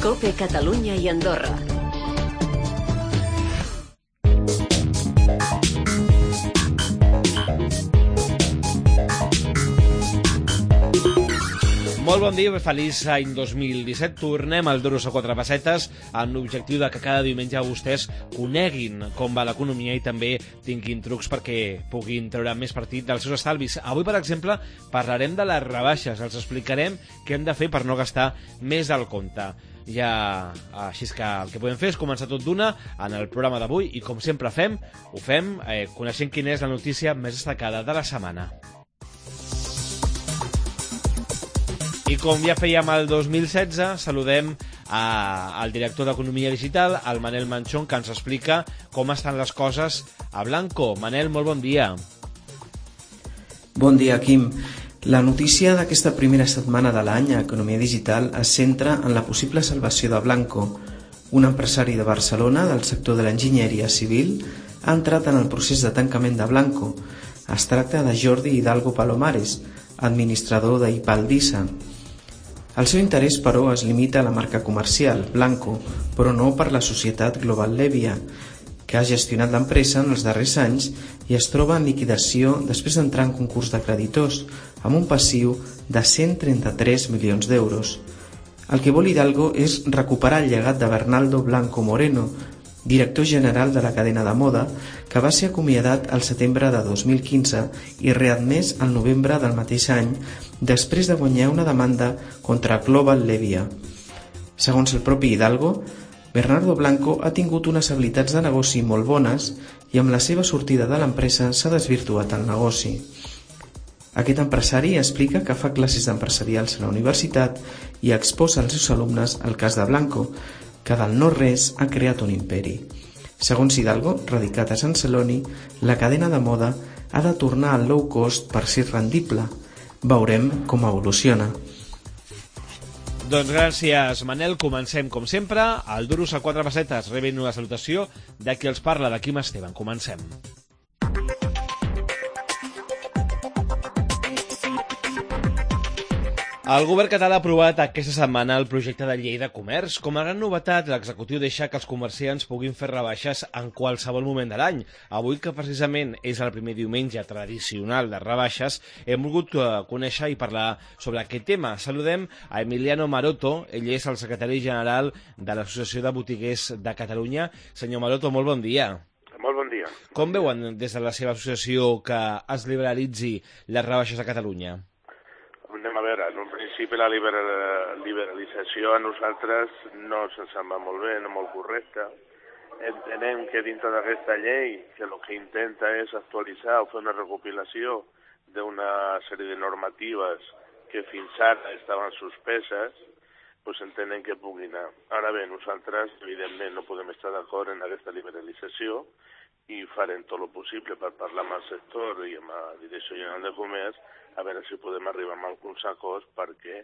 COPE Catalunya i Andorra. Molt bon dia, feliç any 2017. Tornem al Duros a 4 pessetes amb l'objectiu de que cada diumenge vostès coneguin com va l'economia i també tinguin trucs perquè puguin treure més partit dels seus estalvis. Avui, per exemple, parlarem de les rebaixes. Els explicarem què hem de fer per no gastar més del compte. Així que el que podem fer és començar tot d'una en el programa d'avui i, com sempre ho fem coneixent quina és la notícia més destacada de la setmana. I com ja fèiem el 2016, saludem al director d'Economia Digital, el Manel Manchón, que ens explica com estan les coses a Blanco. Manel, molt bon dia. Bon dia, Quim. La notícia d'aquesta primera setmana de l'any a Economia Digital es centra en la possible salvació de Blanco. Un empresari de Barcelona del sector de l'enginyeria civil ha entrat en el procés de tancament de Blanco. Es tracta de Jordi Hidalgo Palomares, administrador d'Ipaldisa. El seu interès, però, es limita a la marca comercial, Blanco, però no per la societat Global Levia, que ha gestionat l'empresa en els darrers anys i es troba en liquidació després d'entrar en concurs de creditors, amb un passiu de 133 milions d'euros. El que vol Hidalgo és recuperar el llegat de Bernaldo Blanco Moreno, director general de la cadena de moda, que va ser acomiadat al setembre de 2015 i readmès al novembre del mateix any després de guanyar una demanda contra Global Levia. Segons el propi Hidalgo, Bernardo Blanco ha tingut unes habilitats de negoci molt bones i amb la seva sortida de l'empresa s'ha desvirtuat el negoci. Aquest empresari explica que fa classes empresarials a la universitat i exposa als seus alumnes el cas de Blanco, que del no-res ha creat un imperi. Segons Hidalgo, radicat a Sant Celoni, la cadena de moda ha de tornar al low cost per ser rendible. Veurem com evoluciona. Doncs gràcies, Manel. Comencem, com sempre, al Duros a 4 pessetes. Rebent una salutació de qui els parla, de Quim Esteban. Comencem. El govern català ha aprovat aquesta setmana el projecte de llei de comerç. Com a gran novetat, l'executiu deixa que els comerciants puguin fer rebaixes en qualsevol moment de l'any. Avui, que precisament és el primer diumenge tradicional de rebaixes, hem volgut conèixer i parlar sobre aquest tema. Saludem a Emiliano Maroto, ell és el secretari general de l'Associació de Botiguers de Catalunya. Senyor Maroto, molt bon dia. Molt bon dia. Com veuen des de la seva associació que es liberalitzi les rebaixes a Catalunya? Anem a veure, en un principi la liberalització a nosaltres no se'ns sembla molt bé, no molt correcta. Entenem que dintre d'aquesta llei que el que intenta és actualitzar o fer una recopilació d'una sèrie de normatives que fins ara estaven suspeses, doncs entenem que pugui anar. Ara bé, nosaltres evidentment no podem estar d'acord en aquesta liberalització i farem tot el possible per parlar amb el sector i amb la Direcció General de Comerç a veure si podem arribar a alguns acords perquè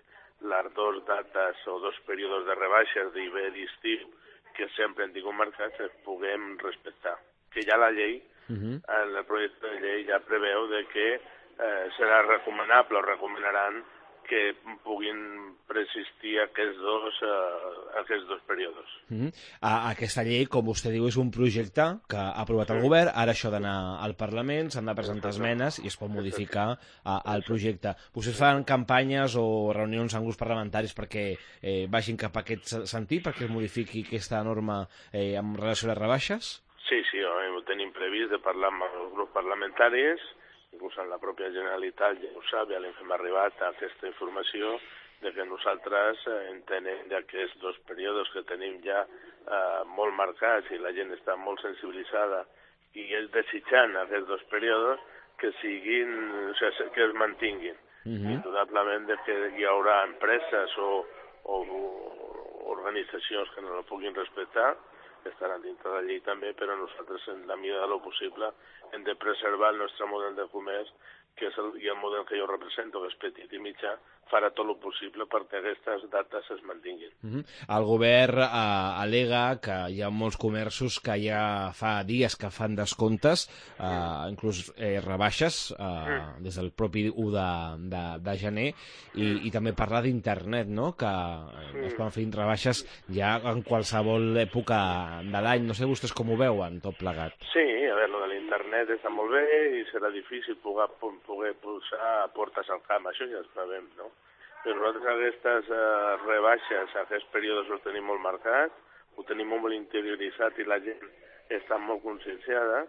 les dues dates o dos períodes de rebaixes d'hivern i estiu que sempre han tingut marcats es puguem respectar. Que ja la llei, el projecte de llei ja preveu de que serà recomanable o recomanaran que puguin persistir aquests dos períodes. Aquesta llei, com vostè diu, és un projecte que ha aprovat el govern, ara això d'anar al Parlament, s'han de presentar esmenes i es pot modificar el projecte. Vostès fan campanyes o reunions amb grups parlamentaris perquè vagin cap a aquest sentit, perquè es modifiqui aquesta norma en relació a les rebaixes? Sí, ho tenim previst de parlar amb els grups parlamentaris, inclús en la pròpia Generalitat ja ho sap, ja li hem arribat a aquesta informació de que nosaltres entenem d'aquests dos períodes que tenim ja molt marcats i la gent està molt sensibilitzada i és desitjant aquests dos períodes que siguin, que es mantinguin. Indudablement que hi haurà empreses o organitzacions que no la puguin respectar, estaran dintre de la llei també, però nosaltres en la mida de lo possible hem de preservar el nostre model de comerç que és i el model que jo represento, que és petit i mitjà, farà tot el possible perquè aquestes dates es mantinguin. El govern al·lega que hi ha molts comerços que ja fa dies que fan descomptes, inclús rebaixes, des del propi 1 de gener, i també parlar d'internet, no? Que es poden fer rebaixes ja en qualsevol època de l'any. No sé vostès com ho veuen, tot plegat. Sí, a veure, lo de l'internet està molt bé i serà difícil poder posar portes al camp, això ja ho sabem, no? Però nosaltres aquestes rebaixes, aquests períodes els tenim molt marcats, ho tenim molt interioritzat i la gent està molt conscienciada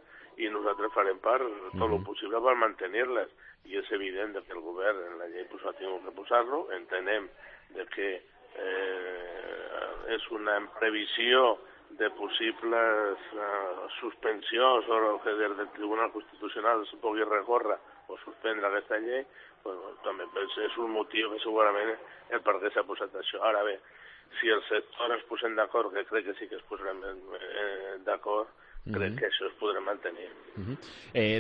i nosaltres farem part tot el possible per mantenir-les. I és evident que el govern en la llei ha tingut que posar-lo, entenem que és una previsió de possibles suspensions o que des del Tribunal Constitucional es pugui recórrer o suspendre aquesta llei, també és un motiu que segurament el per què s'ha posat això. Ara bé, si el sector es posen d'acord, que crec que sí que es posaran d'acord, crec que això es podrà mantenir.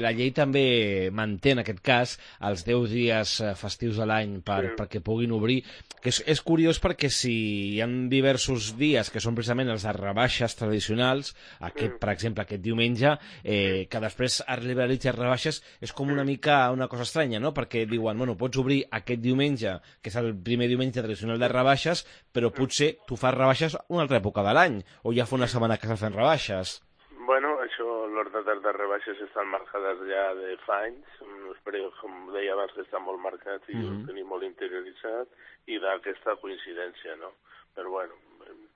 La llei també manté, en aquest cas, els 10 dies festius de l'any perquè puguin obrir, que és curiós perquè si hi ha diversos dies que són precisament els de rebaixes tradicionals, per exemple, aquest diumenge, que després es liberalitza rebaixes, és com una mica una cosa estranya, no? Perquè diuen, bueno, pots obrir aquest diumenge, que és el primer diumenge tradicional de rebaixes, però potser tu fas rebaixes una altra època de l'any, o ja fa una setmana que s'ha fet rebaixes. Bueno, això, les dates de rebaixes estan marcades ja de fa anys, però com deia abans que està molt marcat i ho tenim molt interioritzat, i d'aquesta coincidència, no? Però bueno,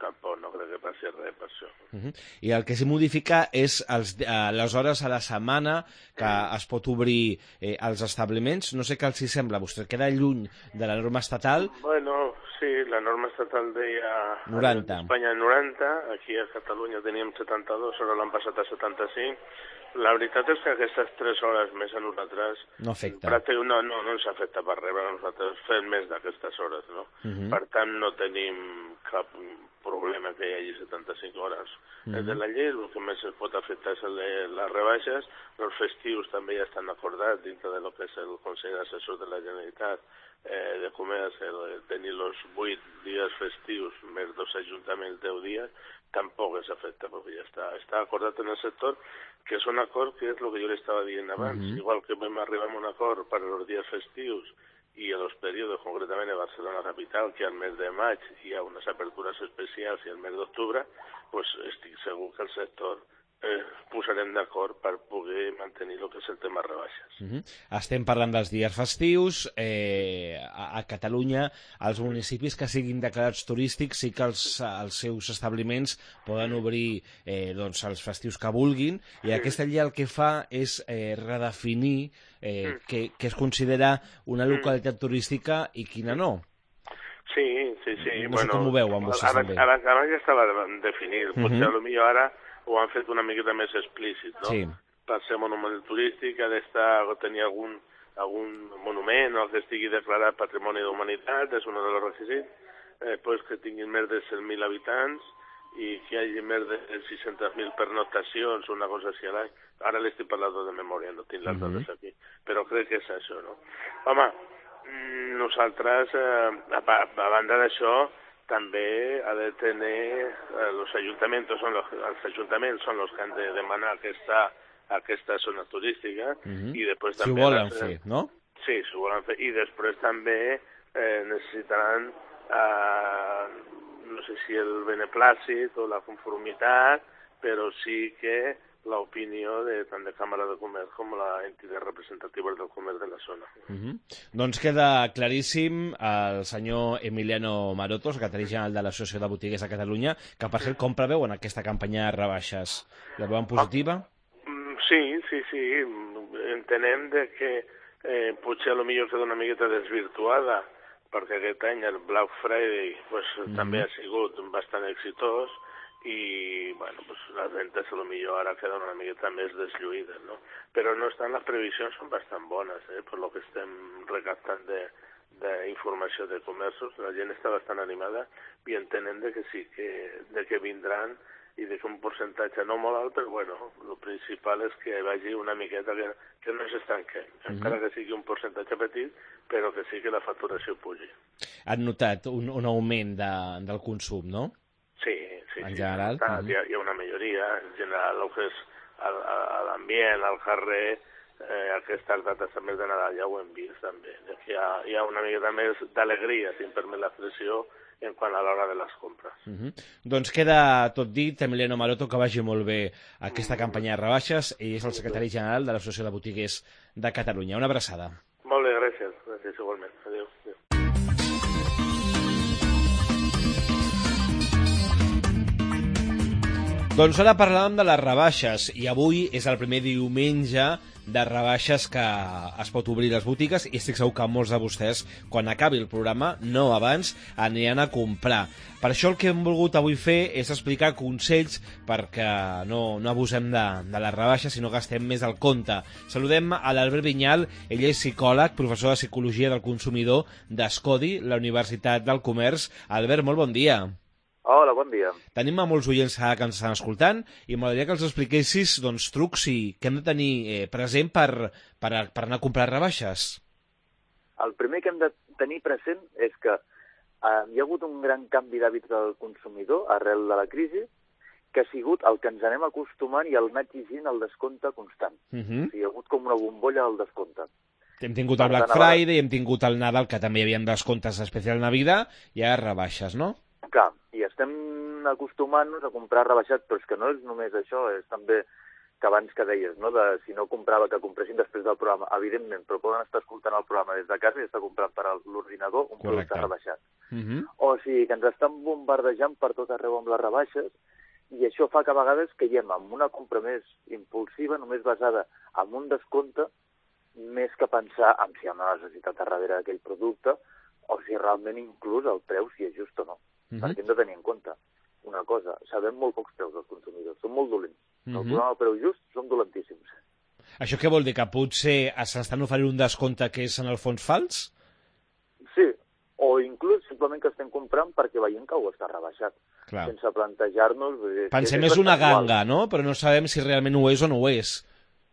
tampoc no crec que passi res per això. I el que s'hi modifica és les hores a la setmana que es pot obrir als establiments. No sé què els hi sembla, vostè queda lluny de la norma estatal. Bueno, sí, la norma estatal deia 90. A Espanya 90, aquí a Catalunya teníem 72, ara l'han passat a 75. La veritat és que aquestes 3 hores més a nosaltres no afecta. No ens afecta per res, nosaltres fem més d'aquestes hores, no? Per tant, no tenim cap problema que hi hagi 75 hores. De la llei el que més es pot afectar és les rebaixes, els festius també ja estan acordats dintre de lo que és el Consell Assessor de la Generalitat de Comerç, tenir els 8 dies festius més 2 ajuntaments 10 dies, tampoc es afecta perquè ja està acordat en el sector, que és un acord que és el que jo li estava dient abans. Igual que vam arribar a un acord per als dies festius i en els períodes, concretament a Barcelona capital, que al mes de maig hi ha unes apertures especials i al mes d'octubre, doncs estic segur que el sector posarem d'acord per poder mantenir el que és el tema rebaixes. Estem parlant dels dies festius. A Catalunya, els municipis que siguin declarats turístics sí que els seus establiments poden obrir els festius que vulguin, i aquesta llei el que fa és redefinir què es considera una localitat turística i quina no. Sí. No sé com ho veu amb vostès també. Abans ja estava definit, potser potser ara ho han fet una miqueta més explícit, no? Sí. Per ser monument turístic ha tenir algun monument o que estigui declarat Patrimoni de la Humanitat, és un dels requisits, pues que tinguin més de 100.000 habitants i que hi hagi més de 600.000 pernoctacions, una cosa així a l'any. Ara l'estic parlant de memòria, no tinc les dades aquí, però crec que és això, no? Home, nosaltres, a banda d'això, també ha de tenir els ajuntaments són els que han de demanar aquesta zona turística i després també... Si ho volen fer, no? Sí, si ho volen fer. I després també necessitaran, no sé si el beneplàcit o la conformitat, però sí que l'opinió tant de Càmera de Comerç com la entitat representativa del comerç de la zona. Doncs queda claríssim el senyor Emiliano Maroto, secretari general de l'Associació de Botiguers de Catalunya, que per cert com preveuen aquesta campanya de rebaixes? La veuen positiva? Sí. Entenem que potser potser queda una miqueta desvirtuada, perquè aquest any el Black Friday també ha sigut bastant exitós, i bueno, les ventes potser ara queden una miqueta més deslluïdes, no? Però no estan, les previsions són bastant bones, per lo que estem recaptant d'informació de comerços. La gent està bastant animada i entenem que sí, que vindran i deixa un percentatge no molt alt, però bueno, el principal és que vagi una miqueta que no s'estanquen, encara que sigui un percentatge petit, però que sí que la facturació pugi. Han notat un augment del consum, no? Sí. En general? Hi ha una majoria, en general, el que és l'ambient, el jarrer, aquestes dates també de Nadal ja ho hem vist també, hi ha una miqueta més d'alegria, si em permet l'expressió, en quant a l'hora de les compres. Doncs queda tot dit. Emiliano Maroto, que vagi molt bé aquesta campanya de rebaixes, i és el secretari general de l'Associació de Botiguers de Catalunya. Una abraçada. Molt bé, gràcies igualment. Adéu. Doncs ara parlàvem de les rebaixes, i avui és el primer diumenge de rebaixes que es pot obrir les botigues, i estic segur que molts de vostès, quan acabi el programa, no abans, aniran a comprar. Per això el que hem volgut avui fer és explicar consells perquè no abusem de les rebaixes, sinó gastem més al compte. Saludem a l'Albert Vinyal, ell és psicòleg, professor de Psicologia del Consumidor d'Escodi, la Universitat del Comerç. Albert, molt bon dia. Hola, bon dia. Tenim a molts oients que ens estan escoltant i m'agradaria que els expliquessis trucs que hem de tenir present per anar a comprar rebaixes. El primer que hem de tenir present és que hi ha hagut un gran canvi d'hàbits del consumidor arrel de la crisi, que ha sigut el que ens anem acostumant i el anar exigint el descompte constant. O sigui, hi ha hagut com una bombolla del descompte. Hem tingut el Black Friday, hem tingut el Nadal, que també hi havia descomptes especial Navidad, i ara rebaixes, no? Clar, i estem acostumant-nos a comprar rebaixat, però és que no és només això, és també que abans que deies, no? Si no comprava, que compressin després del programa, evidentment, però poden estar escoltant el programa des de casa i estar comprant per l'ordinador un producte rebaixat. O sigui, que ens estan bombardejant per tot arreu amb les rebaixes, i això fa que a vegades caiem en una compra més impulsiva, només basada en un descompte, més que pensar en si hi ha una necessitat darrere d'aquell producte, o si realment inclús el preu si és just o no. Perquè hem de tenir en compte una cosa, sabem molt pocs preus dels consumidors, són molt dolents. El programa del preu just són dolentíssims. Això què vol dir? Que potser s'estan oferint un descompte que és en el fons fals? Sí, o inclús simplement que estem comprant perquè veiem que ho està rebaixat. Clar. Sense plantejar-nos... Pensem és una ganga, no? Però no sabem si realment ho és o no ho és.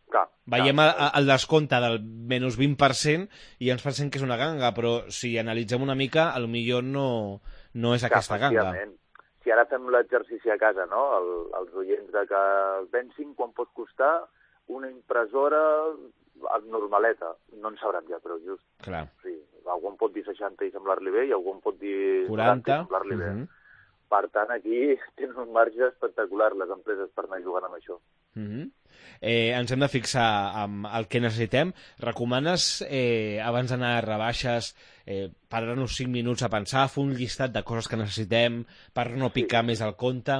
Clar, veiem el descompte del menys 20% i ens pensem que és una ganga, però si analitzem una mica, potser no és aquesta ganga. Si ara fem l'exercici a casa, no? Els oients de que pensin quan pot costar una impressora normaleta, no en sabran ja, però just. Clar. Sí, algú em pot dir 60 i semblar-li bé, i algú em pot dir 40 i semblar-li bé. Per tant, aquí tenen un marge espectacular les empreses per anar jugant amb això. Ens hem de fixar amb el que necessitem. Recomanes, abans d'anar a rebaixes, parar-nos 5 minuts a pensar, fer un llistat de coses que necessitem per no picar més al compte?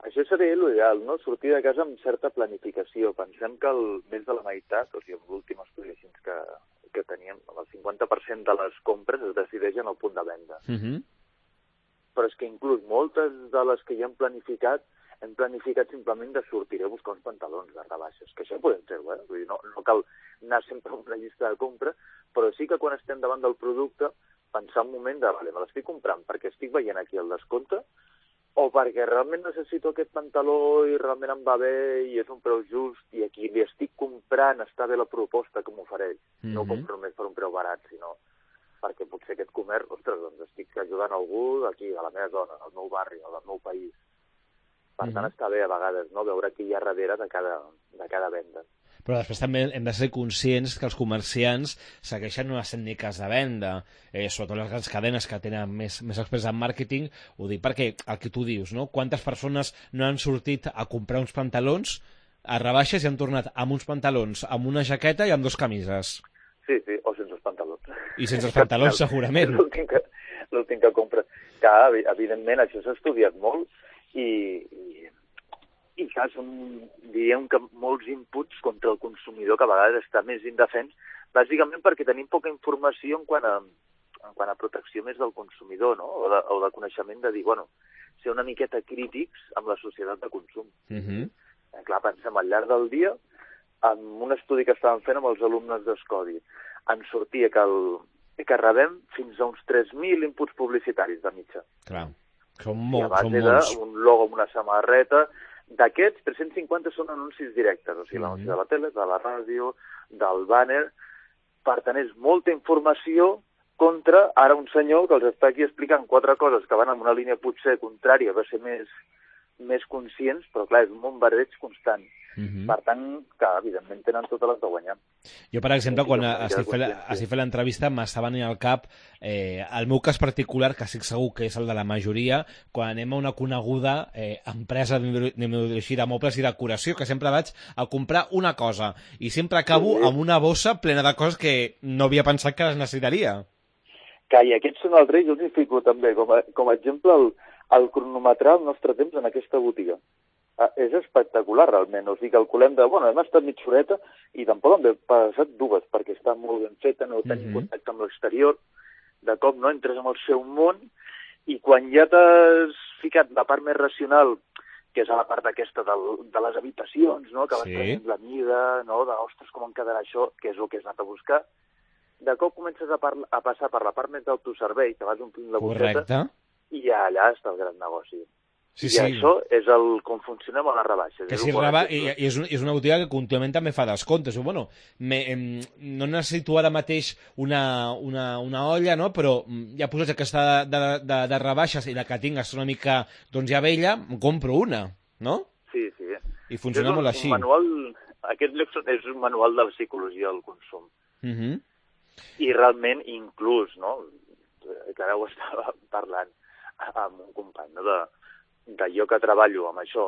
Això seria l'ideal, no? Sortir de casa amb certa planificació. Pensem que més de la meitat, o sigui, amb l'últim estudi que teníem, el 50% de les compres es decideixen al punt de venda. Però és que inclús moltes de les que ja hem planificat simplement de sortir a buscar uns pantalons de rebaixes, que això podem fer-ho, Vull dir, no cal anar sempre amb una llista de compra, però sí que quan estem davant del producte pensar un moment de, vale, me l'estic comprant perquè estic veient aquí el descompte o perquè realment necessito aquest pantaló i realment em va bé i és un preu just i aquí li estic comprant, està bé la proposta que m'ofereix. No ho compro només per un preu barat, sinó perquè potser aquest comerç, ostres, doncs estic ajudant algú d'aquí, de la meva zona, del meu barri, o del meu país. Per tant, està bé a vegades, no?, veure qui hi ha darrere de cada venda. Però després també hem de ser conscients que els comerciants segueixen unes tècniques de venda, sobretot les grans cadenes que tenen més experts en màrqueting. Ho dic perquè el que tu dius, no? Quantes persones no han sortit a comprar uns pantalons a rebaixes i han tornat amb uns pantalons, amb una jaqueta i amb 2 camises? Sí, o sense els pantalons. I sense els pantalons, segurament. L'últim que compres. Que, evidentment, això s'ha estudiat molt i clar, diríem que molts inputs contra el consumidor que a vegades està més indefens, bàsicament perquè tenim poca informació en quant a protecció més del consumidor, no? O de coneixement de dir, ser una miqueta crítics amb la societat de consum. Clar, pensem, al llarg del dia, amb un estudi que estàvem fent amb els alumnes d'Escodi, ens sortia que rebem fins a uns 3.000 inputs publicitaris de mitja. Clar. Són a base molts. d'un logo amb una samarreta. D'aquests, 350 són anuncis directes, o sigui, l'anunci de la tele, de la ràdio, del bàner. Per tant, és molta informació contra ara un senyor que els està aquí explicant 4 coses que van en una línia potser contrària, va ser més conscients, però clar, és un bombardeig constant. Per tant, que evidentment tenen totes les de guanyar. Jo, per exemple, quan estic fent l'entrevista m'està venint al cap el meu cas particular, que estic segur que és el de la majoria, quan anem a una coneguda empresa de mobles i decoració, que sempre vaig a comprar una cosa i sempre acabo amb una bossa plena de coses que no havia pensat que les necessitaria. I aquests són els reis, jo els hi fico també, com a exemple, el cronometrar el nostre temps en aquesta botiga. És espectacular, realment. O sigui, calculem hem estat mitja horeta i tampoc hem passat 2, perquè està molt ben feta, no tenim contacte amb l'exterior, de cop no entres en el seu món, i quan ja t'has ficat la part més racional, que és a la part aquesta de les habitacions, no? Que vas prenent la mida, no? Ostres, com em quedarà això, que és el que has anat a buscar, de cop comences a passar per la part més d'autoservei, que vas omplint la bosseta, i allà està el gran negoci. I això és com funcionem a les rebaixes. És una botiga que contínuament també fa descomptes. No necessito ara mateix una olla, no? Però ja posats que està de rebaixes i la que tinc és una mica ja vella, em compro una, no? Sí. I funciona molt així. Aquest lloc és un manual de la psicologia del consum. I realment, inclús, no? Que ara ho estava parlant amb un company, no? De jo que treballo amb això,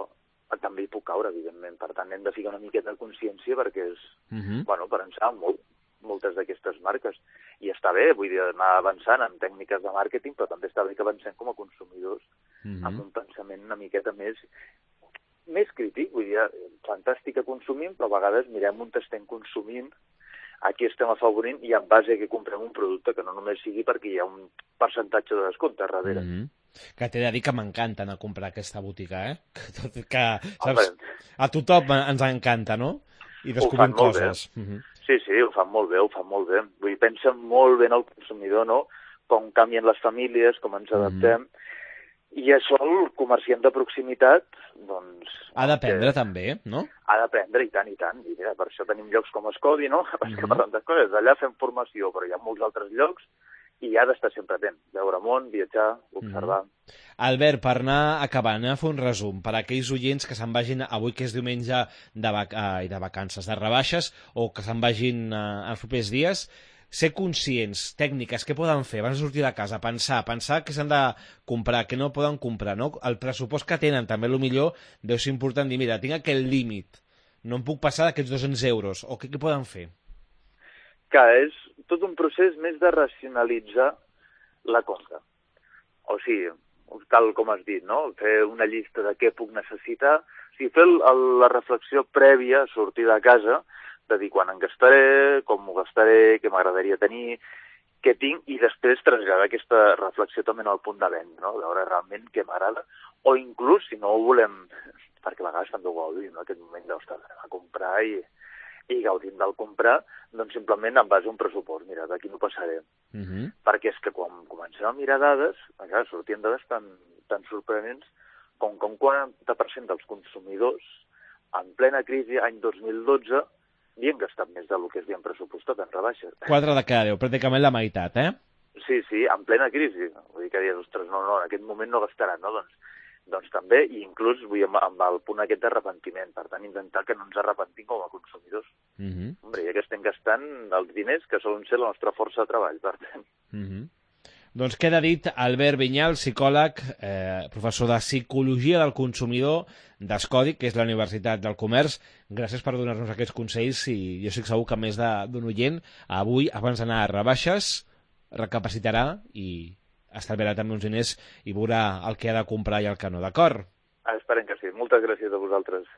també hi puc caure, evidentment. Per tant, hem de ficar una miqueta de consciència perquè és, per ençar moltes d'aquestes marques. I està bé, vull dir, anar avançant en tècniques de màrqueting, però també està bé que avancem com a consumidors amb un pensament una miqueta més crític. Vull dir, fantàstic que consumim, però a vegades mirem on estem consumint, a qui estem afavorint i en base a què comprem un producte que no només sigui perquè hi ha un percentatge de descompte darrere. Que t'he de dir que m'encanta anar a comprar aquesta botiga, que saps, a tothom ens encanta, no? I descobrim coses. Sí, ho fan molt bé, Vull dir, pensen molt bé en el consumidor, no? Com canvien les famílies, com ens adaptem. I això el comerciant de proximitat, doncs... Ha d'aprendre també, no? Ha d'aprendre, i tant. I mira, per això tenim llocs com Escodi, no? Perquè per tantes coses, allà fem formació, però hi ha molts altres llocs i ha d'estar sempre atent, veure món, viatjar, observar. Albert, per anar acabant, a fer un resum, per a aquells oients que se'n vagin avui, que és diumenge de vacances, de rebaixes, o que se'n vagin els propers dies, ser conscients, tècniques, què poden fer abans de sortir de casa, pensar que s'han de comprar, que no poden comprar, no? El pressupost que tenen, també millor deu ser important dir, mira, tinc aquest límit, no em puc passar d'aquests 200 euros, o què poden fer? Que és tot un procés més de racionalitzar la compra. O sigui, tal com has dit, no? Fer una llista de què puc necessitar, o sigui, fer la reflexió prèvia a sortir de casa, de dir quan em gastaré, com m'ho gastaré, què m'agradaria tenir, què tinc, i després traslladar aquesta reflexió també al punt de venda, no? Veure realment què m'agrada, o inclús, si no ho volem, perquè a vegades també ho gaudim, no? Aquest moment d'estar a comprar i gaudint del comprar, doncs simplement en base a un pressupost. Mira, d'aquí no passaré. Perquè és que quan comencem a mirar dades, sortien dades tan sorprenents com que un 40% dels consumidors, en plena crisi, any 2012, havien gastat més del que havien pressupostat en rebaixes. 4 de cada 10, pràcticament la meitat, Sí, en plena crisi. Vull dir que dius, ostres, no, en aquest moment no gastaran, no? Doncs també, i inclús amb el punt aquest d'arrepentiment. Per tant, intentar que no ens arrepentim com a consumidors. Hombre, ja que estem gastant els diners que solen ser la nostra força de treball, per tant. Doncs queda dit, Albert Vinyal, psicòleg, professor de Psicologia del Consumidor d'Escodi, que és la Universitat del Comerç. Gràcies per donar-nos aquests consells i jo estic segur que més d'un oient avui, abans d'anar a rebaixes, recapacitarà i estalviarà també uns diners i veurà el que ha de comprar i el que no, d'acord? Esperem que sí. Moltes gràcies a vosaltres.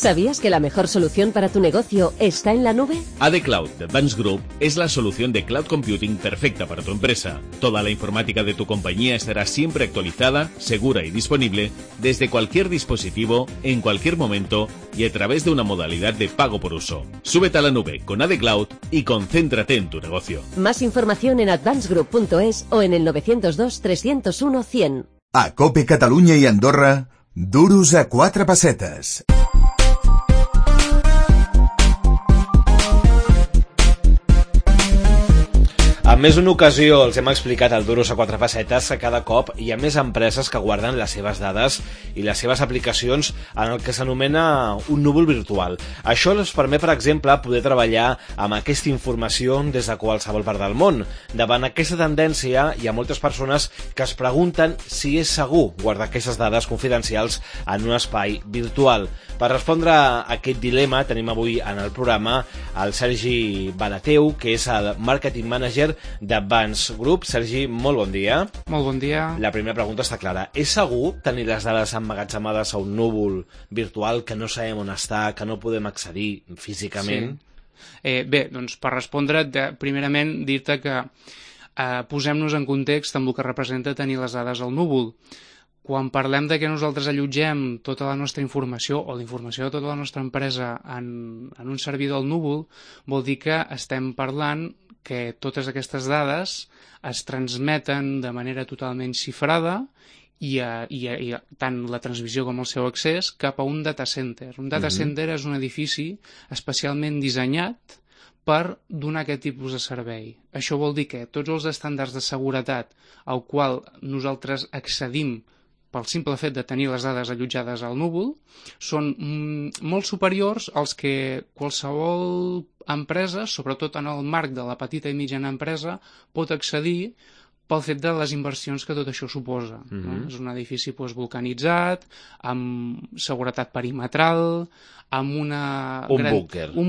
¿Sabías que la mejor solución para tu negocio está en la nube? AD Cloud de Advanced Group es la solución de cloud computing perfecta para tu empresa. Toda la informática de tu compañía estará siempre actualizada, segura y disponible desde cualquier dispositivo, en cualquier momento y a través de una modalidad de pago por uso. Súbete a la nube con AD Cloud y concéntrate en tu negocio. Más información en advancedgroup.es o en el 902 301 100. A COPE Catalunya i Andorra, duros a 4 pessetes. En més d'una ocasió els hem explicat al Duros a 4 pessetes que cada cop hi ha més empreses que guarden les seves dades i les seves aplicacions en el que s'anomena un núvol virtual. Això els permet, per exemple, poder treballar amb aquesta informació des de qualsevol part del món. Davant aquesta tendència, hi ha moltes persones que es pregunten si és segur guardar aquestes dades confidencials en un espai virtual. Per respondre a aquest dilema tenim avui en el programa el Sergi Barateu, que és el Marketing Manager d'Advanced Group. Sergi, molt bon dia. Molt bon dia. La primera pregunta està clara. És segur tenir les dades emmagatzemades a un núvol virtual que no sabem on està, que no podem accedir físicament? Sí. Bé, doncs per respondre, primerament dir-te que posem-nos en context amb el que representa tenir les dades al núvol. Quan parlem de que nosaltres allotgem tota la nostra informació o la informació de tota la nostra empresa en un servidor al núvol, vol dir que estem parlant que totes aquestes dades es transmeten de manera totalment xifrada i tant la transmissió com el seu accés cap a un data center. Un data center és un edifici especialment dissenyat per donar aquest tipus de servei. Això vol dir que tots els estàndards de seguretat al qual nosaltres accedim pel simple fet de tenir les dades allotjades al núvol, són molt superiors als que qualsevol empresa, sobretot en el marc de la petita i mitjana empresa, pot accedir pel fet de les inversions que tot això suposa. És un edifici vulcanitzat, amb seguretat perimetral, amb un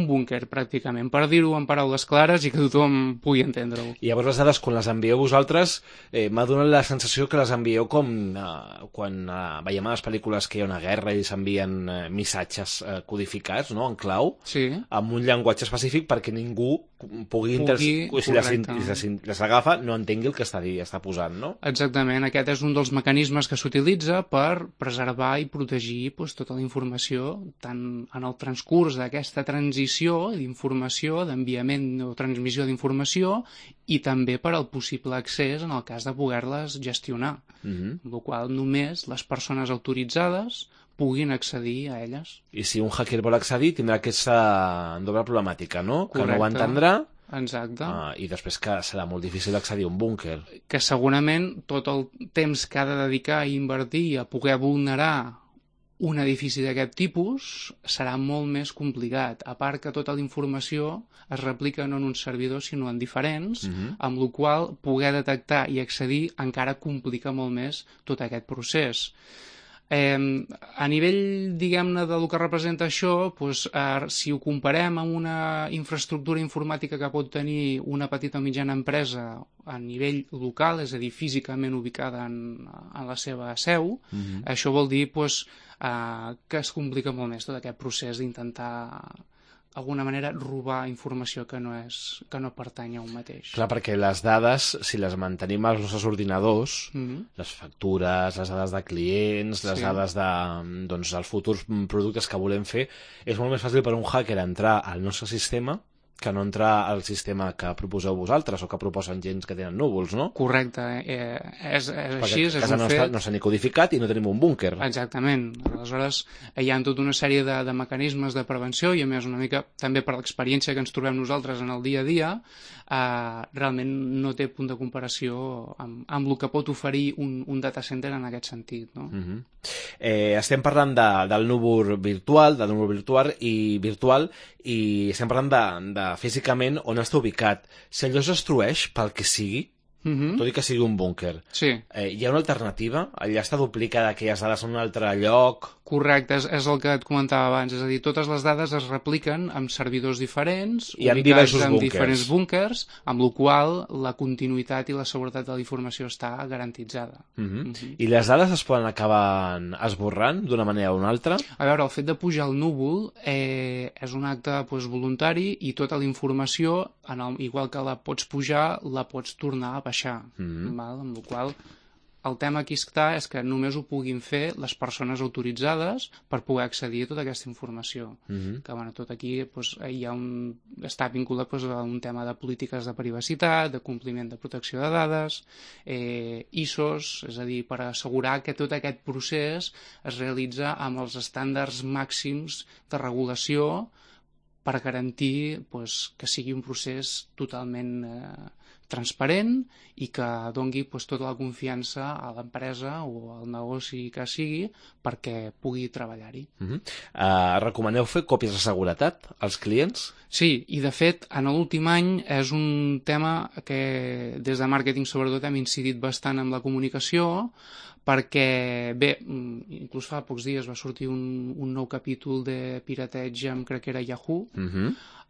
búnquer, pràcticament, per dir-ho en paraules clares i que tothom pugui entendre-ho. I llavors les dades, quan les envieu vosaltres, m'ha donat la sensació que les envieu com quan veiem a les pel·lícules que hi ha una guerra i s'envien missatges codificats, no?, en clau, amb un llenguatge específic perquè ningú pugui si les agafa, no entengui el que està posant, no? Exactament, aquest és un dels mecanismes que s'utilitza per preservar i protegir tota la informació, tant en el transcurs d'aquesta transició d'informació, d'enviament o transmissió d'informació, i també per al possible accés en el cas de poder-les gestionar, amb la qual cosa només les persones autoritzades puguin accedir a elles. I si un hacker vol accedir, tindrà aquesta doble problemàtica, no? Correcte. Que no ho entendrà. Exacte. I després que serà molt difícil accedir a un búnquer. Que segurament tot el temps que ha de dedicar i invertir a poder vulnerar un edifici d'aquest tipus serà molt més complicat, a part que tota la informació es replica no en un servidor sinó en diferents, amb la qual poder detectar i accedir encara complica molt més tot aquest procés. A nivell, diguem-ne, del que representa això, si ho comparem amb una infraestructura informàtica que pot tenir una petita o mitjana empresa a nivell local, és a dir, físicament ubicada en la seva seu, això vol dir que es complica molt més tot aquest procés d'intentar d'alguna manera robar informació que no pertany a un mateix. Clar, perquè les dades, si les mantenim als nostres ordinadors, les factures, les dades de clients, les dades dels futurs productes que volem fer, és molt més fàcil per un hacker entrar al nostre sistema que no entrar al sistema que proposeu vosaltres o que proposen gens que tenen núvols, no? Correcte, és així, és un fet. Perquè a casa no s'ha ni codificat i no tenim un búnquer. Exactament, aleshores hi ha tota una sèrie de mecanismes de prevenció i a més una mica també per l'experiència que ens trobem nosaltres en el dia a dia, realment no té punt de comparació amb el que pot oferir un data center en aquest sentit, no? Estem parlant del núvol virtual, i estem parlant de físicament on està ubicat. Si allò es destrueix pel que sigui, tot i que sigui un búnquer. Sí. Hi ha una alternativa? Allà està duplicada aquelles dades en un altre lloc? Correcte, és el que et comentava abans, és a dir, totes les dades es repliquen amb servidors diferents, I amb ubicats diversos en búnquers. diferents búnquers, amb la qual la continuïtat i la seguretat de la informació està garantitzada. I les dades es poden acabar esborrant d'una manera o una altra? A veure, el fet de pujar al núvol és un acte voluntari i tota la informació, igual que la pots pujar, la pots tornar a baixar. Val? Amb la qual el tema aquí està és que només ho puguin fer les persones autoritzades per poder accedir a tota aquesta informació. Que tot aquí hi ha està vinculat a un tema de polítiques de privacitat, de compliment de protecció de dades, ISOs, és a dir, per assegurar que tot aquest procés es realitza amb els estàndards màxims de regulació per garantir que sigui un procés totalment transparent i que dongui tota la confiança a l'empresa o al negoci que sigui perquè pugui treballar-hi. Recomaneu fer còpies de seguretat als clients? Sí, i de fet, en l'últim any és un tema que des de màrqueting sobretot hem incidit bastant amb la comunicació perquè, bé, inclús fa pocs dies va sortir un nou capítol de pirateig crec que era Yahoo,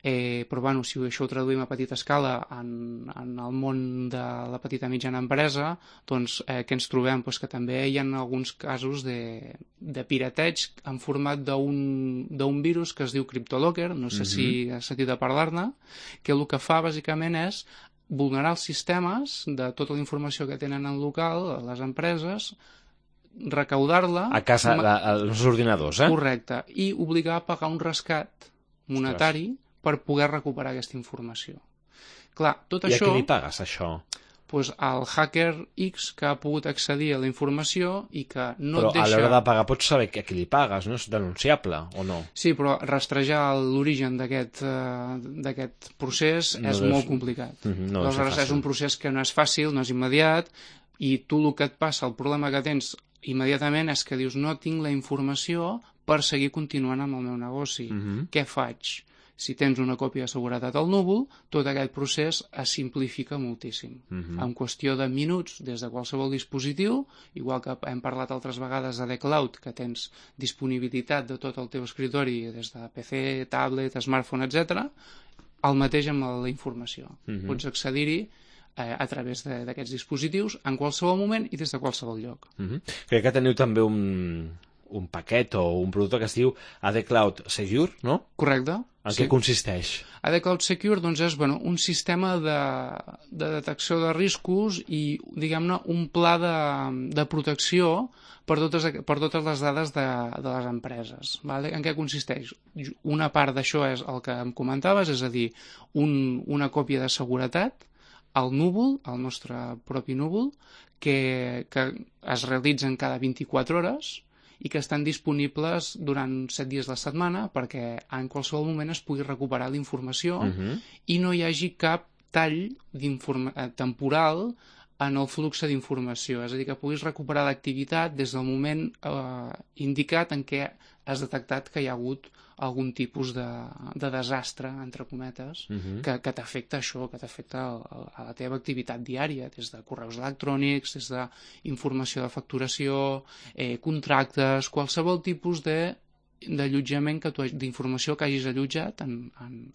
però bueno, si això ho traduïm a petita escala en el món de la petita i mitjana empresa, doncs que ens trobem que també hi ha alguns casos de pirateig en format d'un virus que es diu CryptoLocker, no sé si has sentit a parlar-ne, que el que fa bàsicament és vulnerar els sistemes de tota la informació que tenen en local, a les empreses, recaudar-la... A casa, als nostres ordinadors, Correcte, i obligar a pagar un rescat monetari per poder recuperar aquesta informació. Clar, tot això... I a qui li pagues, això? Doncs al hacker X que ha pogut accedir a la informació i que no et deixa... Però a l'hora de pagar pots saber a qui li pagues, no? És denunciable, o no? Sí, però rastrejar l'origen d'aquest procés és molt complicat. Aleshores, és un procés que no és fàcil, no és immediat, i tu el que et passa, el problema que tens immediatament és que dius no tinc la informació per seguir continuant amb el meu negoci. Què faig? Si tens una còpia de seguretat al núvol, tot aquest procés es simplifica moltíssim. En qüestió de minuts, des de qualsevol dispositiu, igual que hem parlat altres vegades de The Cloud, que tens disponibilitat de tot el teu escritori, des de PC, tablet, smartphone, etc., el mateix amb la informació. Pots accedir-hi a través d'aquests dispositius en qualsevol moment i des de qualsevol lloc. Crec que teniu també un paquet o un producte que es diu AD Cloud Secure, no? Correcte. En què consisteix? AD Cloud Secure és un sistema de detecció de riscos i, diguem-ne, un pla de protecció per totes les dades de les empreses. En què consisteix? Una part d'això és el que em comentaves, és a dir, una còpia de seguretat al núvol, al nostre propi núvol, que es realitzen cada 24 hores i que estan disponibles durant 7 dies de la setmana perquè en qualsevol moment es pugui recuperar la informació i no hi hagi cap tall temporal en el flux d'informació. És a dir, que puguis recuperar l'activitat des del moment indicat en què has detectat que hi ha hagut algun tipus de desastre, entre cometes, que t'afecta això, que t'afecta a la teva activitat diària, des de correus electrònics, des d'informació de facturació, contractes, qualsevol tipus d'allotjament, d'informació que hagis allotjat en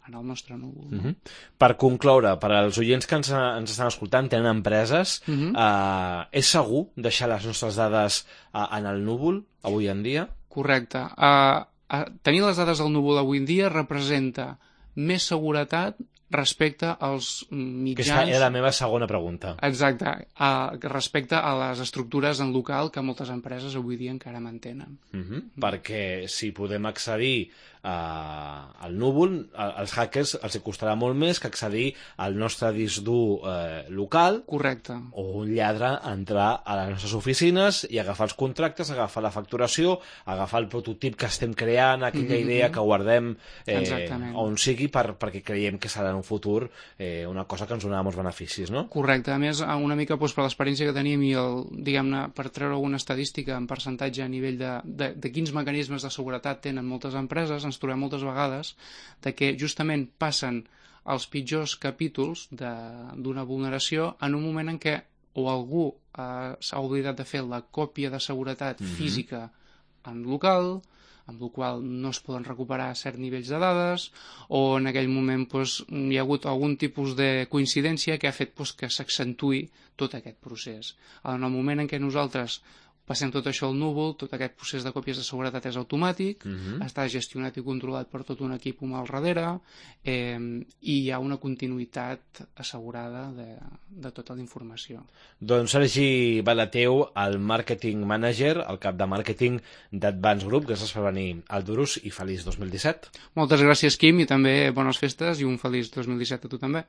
el nostre núvol. Per concloure, per als oients que ens estan escoltant, tenen empreses, és segur deixar les nostres dades en el núvol avui en dia? Correcte. Tenir les dades al núvol avui en dia representa més seguretat respecte als mitjans... Aquesta era la meva segona pregunta. Exacte, respecte a les estructures en local que moltes empreses avui dia encara mantenen. Perquè si podem accedir al núvol, als hackers els costarà molt més que accedir al nostre disc dur local. Correcte. O un lladre entrar a les nostres oficines i agafar els contractes, agafar la facturació, agafar el prototip que estem creant, aquella idea que guardem on sigui perquè creiem que serà en un futur una cosa que ens donarà molts beneficis, no? Correcte. A més, una mica per l'experiència que teníem i diguem-ne, per treure alguna estadística en percentatge a nivell de quins mecanismes de seguretat tenen moltes empreses, ens trobem moltes vegades de que justament passen els pitjors capítols d'una vulneració en un moment en què o algú s'ha oblidat de fer la còpia de seguretat física en local, amb el qual no es poden recuperar certs nivells de dades, o en aquell moment hi ha hagut algun tipus de coincidència que ha fet que s'accentui tot aquest procés. En el moment en què nosaltres passem tot això al núvol, tot aquest procés de còpies de seguretat és automàtic, està gestionat i controlat per tot un equip humà al darrere, i hi ha una continuïtat assegurada de tota la informació. Doncs Sergi Balateu, el Marketing Manager, el cap de màrqueting d'Advance Group, gràcies per venir al Durus i feliç 2017. Moltes gràcies, Quim, i també bones festes i un feliç 2017 a tu també.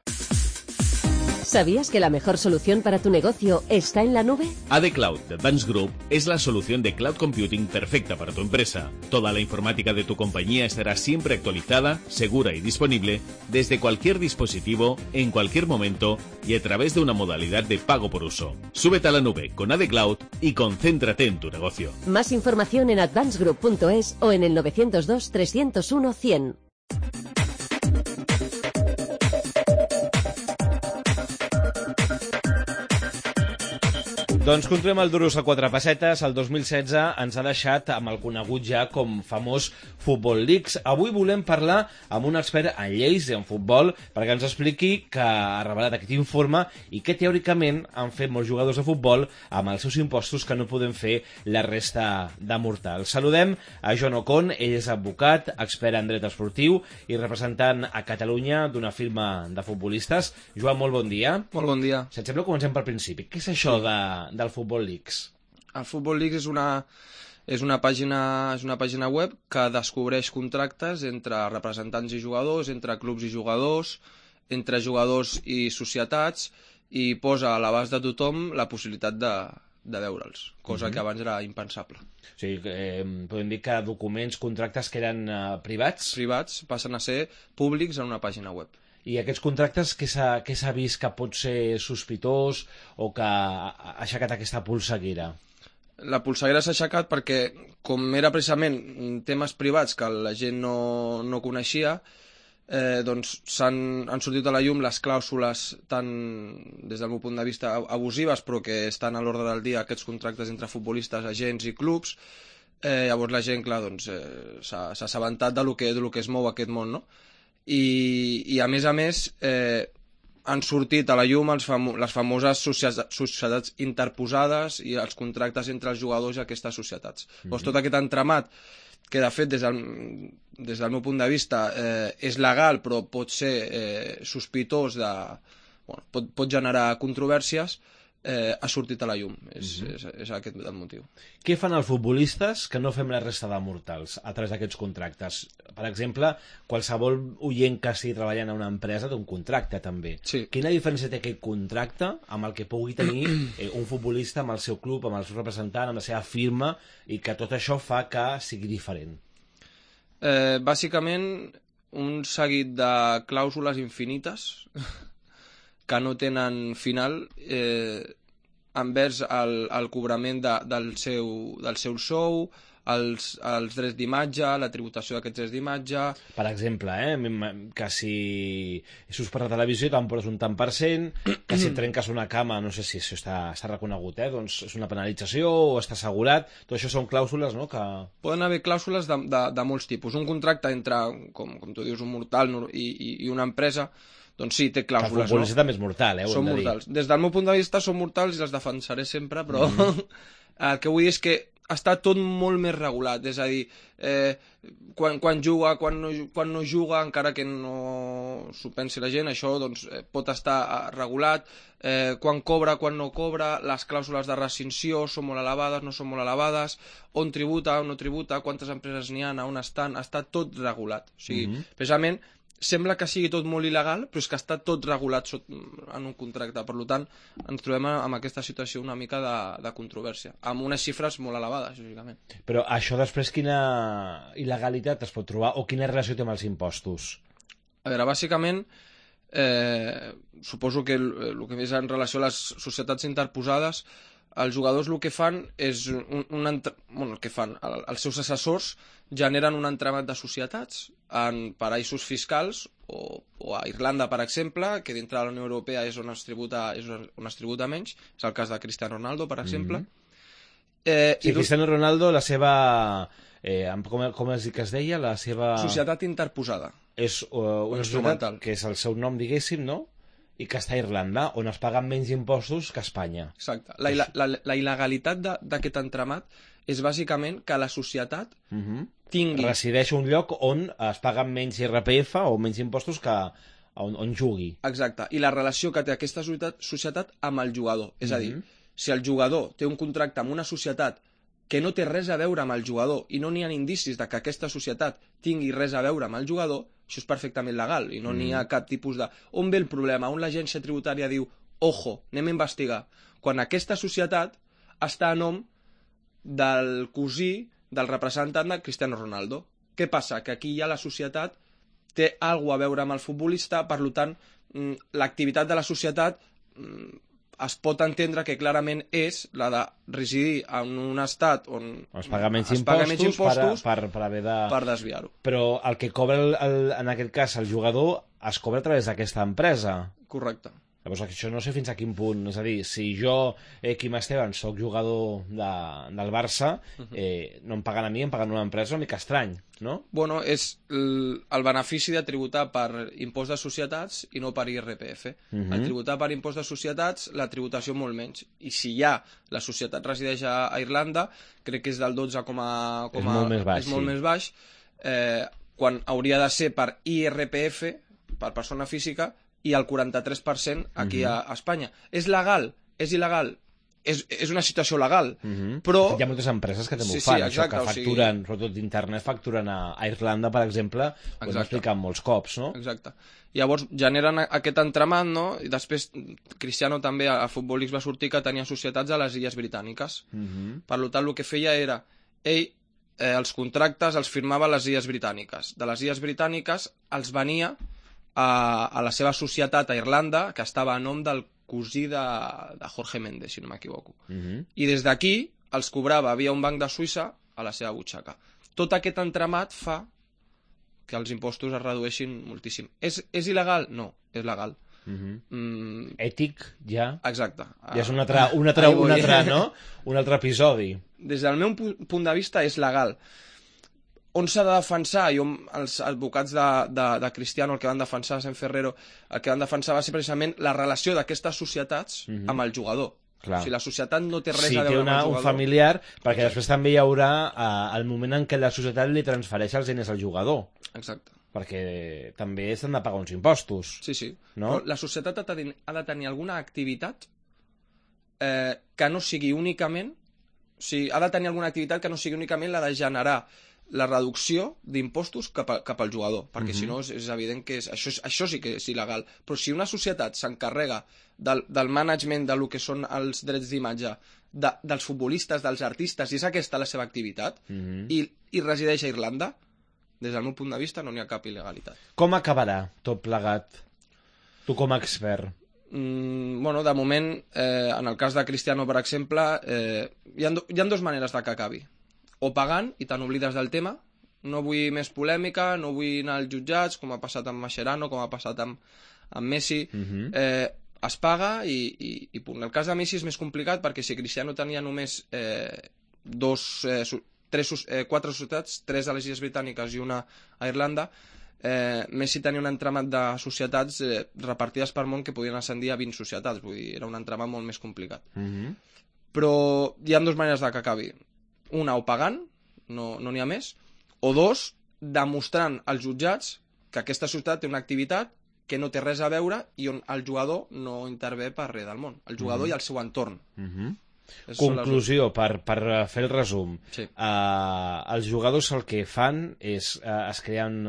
¿Sabías que la mejor solución para tu negocio está en la nube? AD Cloud de Advance Group es la solución de cloud computing perfecta para tu empresa. Toda la informática de tu compañía estará siempre actualizada, segura y disponible desde cualquier dispositivo, en cualquier momento y a través de una modalidad de pago por uso. Súbete a la nube con AD Cloud y concéntrate en tu negocio. Más información en advancegroup.es o en el 902 301 100. Doncs continuem el Durus a 4 pessetes. El 2016 ens ha deixat amb el conegut ja com famós Football Leaks. Avui volem parlar amb un expert en lleis i en futbol perquè ens expliqui que ha revelat aquest informe i que teòricament han fet molts jugadors de futbol amb els seus impostos que no podem fer la resta de mortals. Saludem a Joan Ocon, ell és advocat, expert en dret esportiu i representant a Catalunya d'una firma de futbolistes. Joan, molt bon dia. Molt bon dia. Si et sembla, comencem pel principi. Què és això del Football Leaks? El Football Leaks és una pàgina web que descobreix contractes entre representants i jugadors, entre clubs i jugadors, entre jugadors i societats, i posa a l'abast de tothom la possibilitat de veure'ls, cosa que abans era impensable. O sigui, podem dir que documents, contractes que eren privats? Privats passen a ser públics en una pàgina web. I aquests contractes, què s'ha vist que pot ser sospitós o que ha aixecat aquesta polseguera? La polseguera s'ha aixecat perquè, com era precisament temes privats que la gent no coneixia, doncs han sortit a la llum les clàusules tant des del meu punt de vista abusives, però que estan a l'ordre del dia aquests contractes entre futbolistes, agents i clubs. Llavors la gent, clar, doncs, s'ha assabentat de lo que es mou aquest món, no? I a més han sortit a la llum les famoses societats interposades i els contractes entre els jugadors i aquestes societats. Doncs tot aquest entramat, que de fet des del meu punt de vista és legal però pot ser sospitós pot generar controvèrsies, ha sortit a la llum. És aquest el motiu. Què fan els futbolistes que no fem la resta de mortals a través d'aquests contractes? Per exemple, qualsevol oient que estigui treballant a una empresa té un contracte també. Sí. Quina diferència té aquest contracte amb el que pugui tenir un futbolista amb el seu club, amb el seu representant, amb la seva firma, i que tot això fa que sigui diferent? Bàsicament, un seguit de clàusules infinites que no tenen final envers el cobrament del seu sou, els drets d'imatge, la tributació d'aquests drets d'imatge. Per exemple, que si surts per la televisió te'n poses un tant per cent, que si trenques una cama, no sé si això està reconegut, doncs és una penalització o està assegurat. Tot això són clàusules, no? Poden haver clàusules de molts tipus. Un contracte entre, com tu dius, un mortal i una empresa, doncs sí, té clàusules. El futbolista també és mortal, són mortals. Des del meu punt de vista són mortals i les defensaré sempre, però el que vull dir és que està tot molt més regulat, és a dir, quan juga, quan no juga, encara que no s'ho pensi la gent, això doncs, pot estar regulat, quan cobra, quan no cobra, les clàusules de rescissió són molt elevades, no són molt elevades, on tributa, on no tributa, quantes empreses n'hi ha, on estan, està tot regulat. O sigui, precisament, sembla que sigui tot molt il·legal, però és que està tot regulat en un contracte. Per tant, ens trobem amb aquesta situació una mica de controvèrsia, amb unes xifres molt elevades, lògicament. Però això després quina il·legalitat es pot trobar o quina relació té amb els impostos? A veure, bàsicament, suposo que el que és en relació a les societats interposades, els jugadors el que fan és els seus assessors generen un entramat de societats en paraïsos fiscals o a Irlanda, per exemple, que dintre de la Unió Europea és on es tributa menys, és el cas de Cristiano Ronaldo, per exemple. Sí, Cristiano Ronaldo, la seva... com es deia? La seva... Societat interposada. És una societat que és el seu nom, diguéssim, no? I que està a Irlanda, on es paguen menys impostos que a Espanya. Exacte. La il·legalitat d'aquest entramat és bàsicament que la societat tingui... Resideix un lloc on es paguen menys IRPF o menys impostos que on jugui. Exacte. I la relació que té aquesta societat amb el jugador. És a dir, si el jugador té un contracte amb una societat que no té res a veure amb el jugador i no n'hi ha indicis de que aquesta societat tingui res a veure amb el jugador, això és perfectament legal i no n'hi ha cap tipus de... On ve el problema? On l'agència tributària diu ojo, anem a investigar. Quan aquesta societat està a nom del cosí del representant de Cristiano Ronaldo. Què passa? Que aquí ja la societat té alguna a veure amb el futbolista, per tant, l'activitat de la societat es pot entendre que clarament és la de residir en un estat on es paga menys impostos per haver de... per desviar-ho. Però el que cobra, en aquest cas, el jugador, es cobra a través d'aquesta empresa. Correcte. Llavors, això no sé fins a quin punt. És a dir, si jo, Quim Esteban, soc jugador del Barça, no em paguen a mi, em paguen una empresa una mica estrany, no? Bueno, és el benefici de tributar per impost de societats i no per IRPF. El tributar per impost de societats, la tributació molt menys. I si ja la societat resideix a Irlanda, crec que és del 12, és molt més baix. És molt més baix, quan hauria de ser per IRPF, per persona física, i el 43% aquí a Espanya. És legal? És il·legal? És una situació legal, però... Hi ha moltes empreses que també ho fan, exacte, això, que facturen, sobretot d'internet, facturen a Irlanda, per exemple, ho hem explicat molts cops, no? Exacte. Llavors generen aquest entramat, no? I després Cristiano també a Futbol X va sortir que tenia societats a les Illes Britàniques. Per tant, el que feia era... Ell els contractes els firmava a les Illes Britàniques. De les Illes Britàniques els venia a la seva societat a Irlanda, que estava a nom del cosí de Jorge Méndez, si no m'equivoco. I des d'aquí els cobrava via un banc de Suïssa a la seva butxaca. Tot aquest entramat fa que els impostos es redueixin moltíssim. És il·legal? No, és legal. Ètic, ja? Exacte. Ja és un altre episodi. Des del meu punt de vista és legal. On s'ha de defensar, i els advocats de Cristiano, el que van defensar, Sen Ferrero, el que van defensar va ser precisament la relació d'aquestes societats amb el jugador. Clar. O sigui, la societat no té res a veure amb el jugador. Un familiar, perquè després també hi haurà el moment en què la societat li transfereix els diners al jugador. Exacte. Perquè també s'han de pagar uns impostos. Sí. No? Però la societat ha de tenir alguna activitat que no sigui únicament... O sigui, ha de tenir alguna activitat que no sigui únicament la de generar la reducció d'impostos cap al jugador, perquè si no és evident que això sí que és il·legal. Però si una societat s'encarrega del management de lo que són els drets d'imatge dels futbolistes, dels artistes, i és aquesta la seva activitat, i resideix a Irlanda, des del meu punt de vista no n'hi ha cap il·legalitat. Com acabarà tot plegat? Tu com a expert. Bueno, de moment, en el cas de Cristiano, per exemple, hi ha dues maneres de que acabi. O pagant i te n'oblides del tema, no vull més polèmica, no vull anar als jutjats, com ha passat amb Mascherano, com ha passat amb Messi, es paga i punt. El cas de Messi és més complicat perquè si Cristiano tenia només 4 societats, 3 a les Illes Britàniques i una a Irlanda, Messi tenia un entramat de societats repartides per món que podien ascendir a 20 societats, vull dir, era un entramat molt més complicat. Però hi ha dues maneres de que acabi. Una, o pagant, no n'hi ha més, o dos, demostrant als jutjats que aquesta societat té una activitat que no té res a veure i on el jugador no intervé per res del món. El jugador i el seu entorn. Conclusió, per fer el resum. Sí. Els jugadors el que fan és es creen,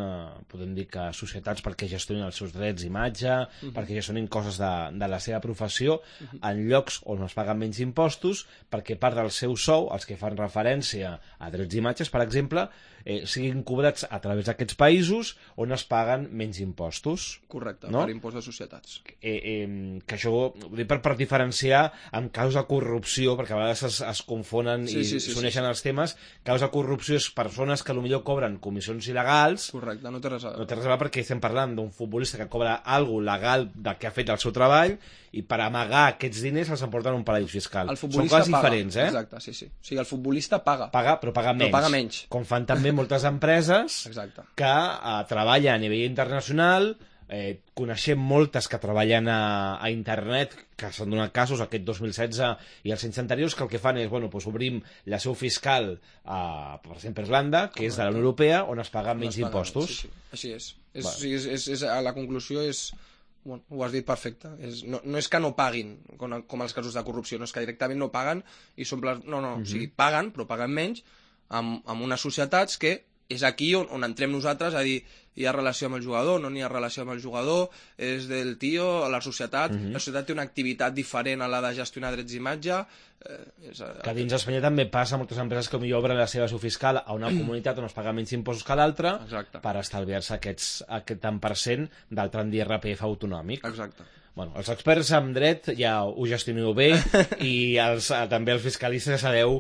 podem dir que societats perquè gestionin els seus drets d'imatge, perquè gestionin coses de la seva professió, en llocs on es paguen menys impostos, perquè part del seu sou, els que fan referència a drets d'imatges, per exemple, siguin cobrats a través d'aquests països on es paguen menys impostos. Correcte, no? Per impost de societats. Que això ho dic per diferenciar en casos de corrupció corrupció, perquè a vegades es confonen i s'uneixen els temes, causa corrupció és persones que potser cobren comissions il·legals. Correcte, no té res a veure. No té res a veure perquè estem parlant d'un futbolista que cobra alguna legal del que ha fet el seu treball i per amagar aquests diners els emporten a un paradís fiscal. Són coses diferents, eh? Exacte, sí. O sigui, el futbolista paga. Però paga menys. Com fan també moltes empreses que treballen a nivell internacional. Coneixem moltes que treballen a internet, que s'han donat casos aquest 2016 i els anys anteriors, que el que fan és, obrim la seu fiscal per exemple, Irlanda, que és de la Unió Europea, on es paguen menys impostos. Així és. La conclusió és... ho has dit perfecte. No és que no paguin, com els casos de corrupció, no és que directament no paguen i s'omplen... No, o sigui, paguen, però paguen menys amb unes societats que és aquí on entrem nosaltres a dir hi ha relació amb el jugador, no n'hi ha relació amb el jugador, és del tio, la societat té una activitat diferent a la de gestionar drets d'imatge. Que dins d'Espanya també passa moltes empreses que potser obren la seva seu fiscal a una comunitat on es paga menys impostos que l'altra per estalviar-se aquest tant per cent del tram d'IRPF autonòmic. Exacte. Els experts en dret ja ho gestioneu bé i també els fiscalistes sabeu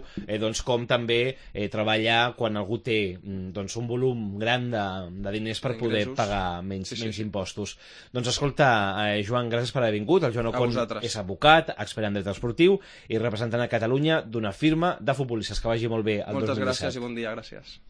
com també treballar quan algú té un volum gran de diners per poder pagar menys impostos. Doncs escolta, Joan, gràcies per haver vingut. El Joan Ocon és advocat, expert en dret esportiu i representant a Catalunya d'una firma de futbolistes. Que vagi molt bé el 2017. Moltes gràcies i bon dia, gràcies.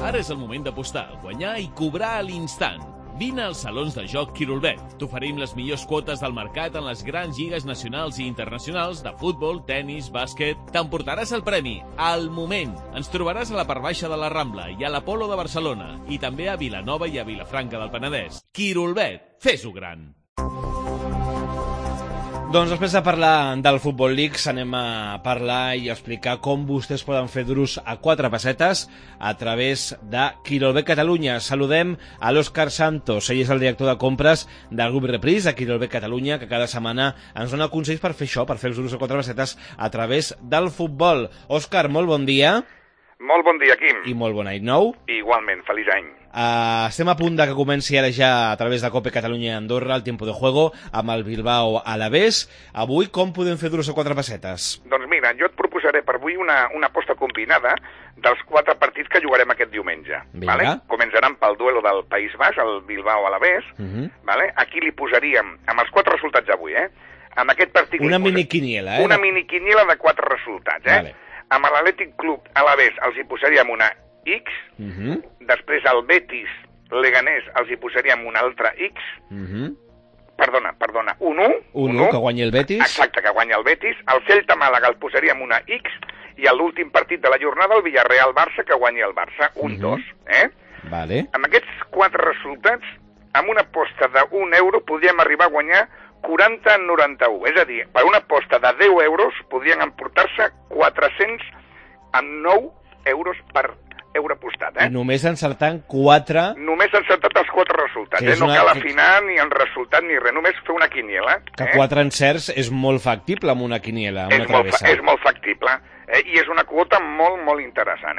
Ara és el moment d'apostar, guanyar i cobrar a l'instant. Vine als salons de joc Quirolbet. T'oferim les millors quotes del mercat en les grans lligues nacionals i internacionals de futbol, tennis, bàsquet. T'emportaràs el premi al moment. Ens trobaràs a la part baixa de la Rambla i a l'Apolo de Barcelona i també a Vilanova i a Vilafranca del Penedès. Quirolbet, fes-ho gran. Doncs després de parlar del Futbol League anem a parlar i a explicar com vostès poden fer duros a 4 pessetes a través de Quirolbet Catalunya. Saludem a l'Òscar Santos, ell és el director de compres del grup Reprise de Quirolbet Catalunya, que cada setmana ens dona consells per fer això, per fer els duros a 4 pessetes a través del futbol. Òscar, molt bon dia. Molt bon dia, Quim. I molt bon any nou. Igualment, feliç any. Estem a punt de que comenci ara ja a través de Cope Catalunya i Andorra el tiempo de juego amb el Bilbao Alavés. Avui com podem fer duros a 4 pessetes? Doncs mira, jo et proposaré per avui una aposta combinada dels 4 partits que jugarem aquest diumenge. Vale? Començaran pel duelo del País Basc, el Bilbao Alavés. Vale? Aquí li posaríem, amb els 4 resultats d'avui, amb aquest partit... Una miniquiniela, Una miniquiniela de 4 resultats, Vale. Amb l'Atlètic Club Alavés els hi posaríem una X, després al Betis Leganés els hi posaríem una altra X, perdona, un 1, que guanyi el Betis. Exacte, que guanyi el Betis. Al Celta Màlaga el posaríem una X i a l'últim partit de la jornada el Villarreal-Barça que guanyi el Barça, un 2. Vale. Amb aquests 4 resultats, amb una aposta d'1 euro podríem arribar a guanyar 40 en 91, és a dir, per una aposta de 10 euros podrien emportar-se 409 euros per euro apostat. I només encertant 4... Només encertat els 4 resultats, no cal afinar ni el resultat ni res, només fer una quiniela. Que 4 encerts és molt factible amb una quiniela, amb una travessa. És molt factible, i és una quota molt, molt interessant.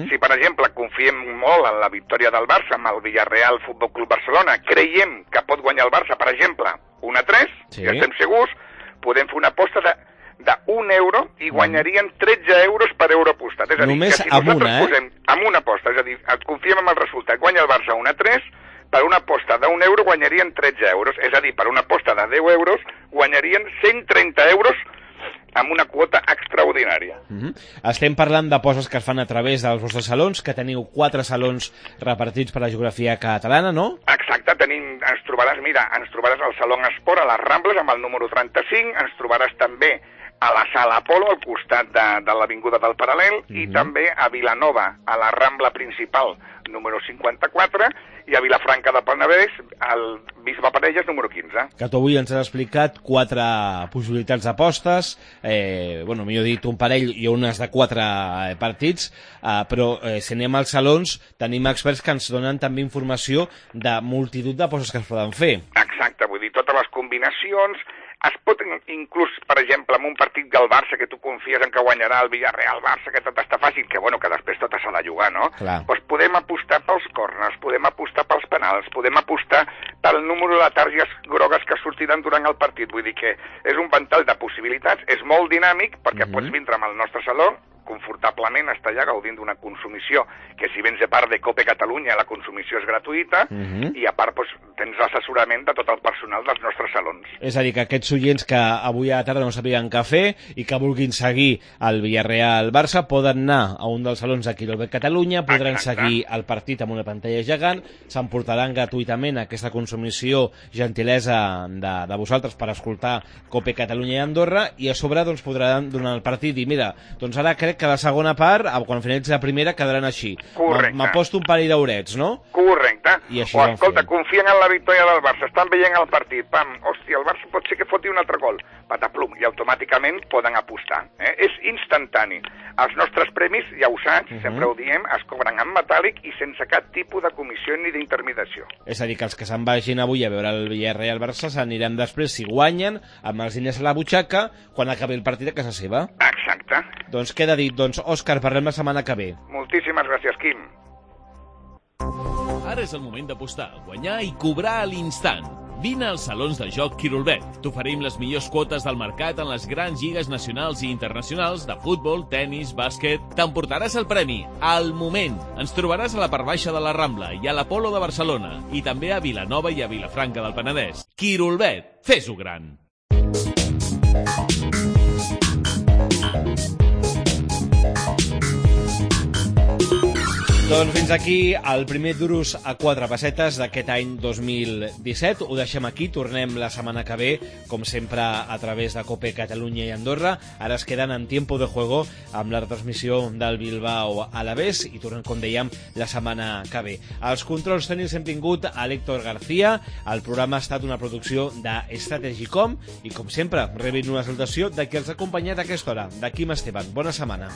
Si, per exemple, confiem molt en la victòria del Barça amb el Villarreal Futbol Club Barcelona, creiem que pot guanyar el Barça, per exemple, 1-3, ja estem segurs, podem fer una aposta de 1 euro i guanyarien 13 euros per euro apostat. És a dir, només que si nosaltres posem amb una aposta, és a dir, confiem en el resultat, guanya el Barça 1-3, per una aposta d'1 euro guanyarien 13 euros, és a dir, per una aposta de 10 euros guanyarien 130 euros amb una quota extraordinària. Estem parlant d'apostes que es fan a través dels vostres salons, que teniu 4 salons repartits per la geografia catalana, no? Exacte, ens trobaràs al Salón Esport, a les Rambles, amb el número 35, ens trobaràs també a la Sala Apolo, al costat de l'Avinguda del Paral·lel, i també a Vilanova, a la Rambla principal, número 54, i a Vilafranca del Penedès, al Bisbe Parelles, número 15. Que tu avui ens has explicat 4 possibilitats d'apostes, millor dit, un parell i unes de 4 partits, però si anem als salons, tenim experts que ens donen també informació de multitud d'apostes que es poden fer. Exacte, vull dir, totes les combinacions, Es pot inclús, per exemple, en un partit del Barça que tu confies en que guanyarà el Villarreal-Barça, que tot està fàcil, que bueno, que després tot s'ha de jugar, no? Doncs podem apostar pels córners, podem apostar pels penals, podem apostar pel número de targetes grogues que sortiran durant el partit. Vull dir que és un ventall de possibilitats, és molt dinàmic, perquè pots vindre amb el nostre saló, confortablement estar allà gaudint d'una consumició que si vens de part de Cope Catalunya la consumició és gratuïta i a part doncs, tens l'assessorament de tot el personal dels nostres salons. És a dir, que aquests oients que avui a la tarda no sabien què fer i que vulguin seguir el Villarreal-Barça poden anar a un dels salons d'aquí del Catalunya, podran seguir el partit amb una pantalla gegant, s'emportaran gratuïtament aquesta consumició gentilesa de vosaltres per escoltar Cope Catalunya i Andorra i a sobre doncs, podran donar el partit i mira, doncs ara crec que la segona part, quan finalitzi la primera, quedaran així. Correcte. M'aposto un parell d'horets, no? Correcte. I així o escolta, confien en la victòria del Barça, estan veient el partit, pam, hòstia, el Barça pot ser que foti un altre gol, pataplum, i automàticament poden apostar. És instantani. Els nostres premis, ja ho saps, sempre ho diem, es cobren en metàl·lic i sense cap tipus de comissió ni d'intermediació. És a dir, que els que se'n vagin avui a veure el Villarreal-Barça s'aniran després, si guanyen, amb els diners a la butxaca, quan acabi el partit a casa seva. Exacte. Doncs queda dit. Doncs, Òscar, parlem la setmana que ve. Moltíssimes gràcies, Quim. Ara és el moment d'apostar, guanyar i cobrar a l'instant. Vine als salons de joc Quirolbet. T'oferim les millors quotes del mercat en les grans lligues nacionals i internacionals de futbol, tennis, bàsquet. T'emportaràs el premi al moment. Ens trobaràs a la part baixa de la Rambla i a l'Apolo de Barcelona i també a Vilanova i a Vilafranca del Penedès. Quirolbet, fes-ho gran. Doncs fins aquí el primer Duros a 4 pessetes d'aquest any 2017. Ho deixem aquí, tornem la setmana que ve, com sempre a través de Cope Catalunya i Andorra. Ara es queden en tiempo de juego amb la retransmissió del Bilbao Alavés i tornem, com dèiem, la setmana que ve. Als controls tècnics hem tingut a l'Héctor García. El programa ha estat una producció de Strategicom i, com sempre, rebin una salutació de qui els ha acompanyat a aquesta hora, de Quim Esteban. Bona setmana.